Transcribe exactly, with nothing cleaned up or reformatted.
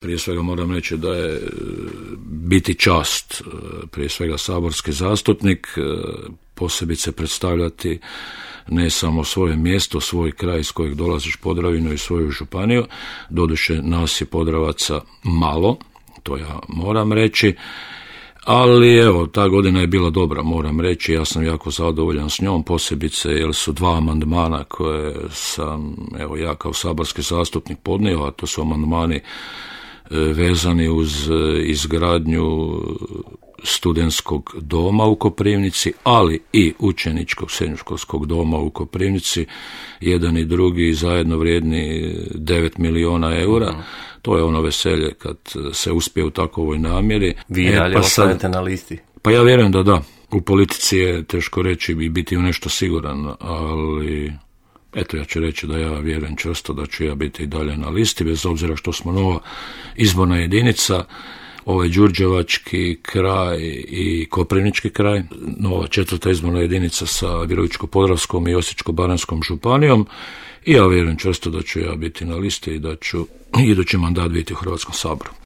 Prije svega moram reći da je biti čast, prije svega saborski zastupnik, posebice predstavljati ne samo svoje mjesto, svoj kraj iz kojeg dolaziš, Podravinu i svoju županiju. Doduše nas je Podravaca malo, to ja moram reći, ali evo, ta godina je bila dobra, moram reći, ja sam jako zadovoljan s njom, posebice jer su dva amandmana koje sam, evo, ja kao saborski zastupnik podnio, a to su amandmani vezani uz izgradnju studentskog doma u Koprivnici, ali i učeničkog srednjoškolskog doma u Koprivnici, jedan i drugi zajedno vrijedni devet milijuna eura. Uh-huh. To je ono veselje kad se uspije u takovoj namjeri. Vi e, dalje pa ostanete na listi? Pa ja vjerujem da da. U politici je teško reći i biti u nešto siguran, ali eto, ja ću reći da ja vjerujem čvrsto da ću ja biti i dalje na listi, bez obzira što smo nova izborna jedinica, ovaj đurđevački kraj i koprivnički kraj, nova četvrta izborna jedinica sa Virovitičko-podravskom i Osječko-baranjskom županijom, i ja vjerujem čvrsto da ću ja biti na listi i da ću idući mandat biti u Hrvatskom saboru.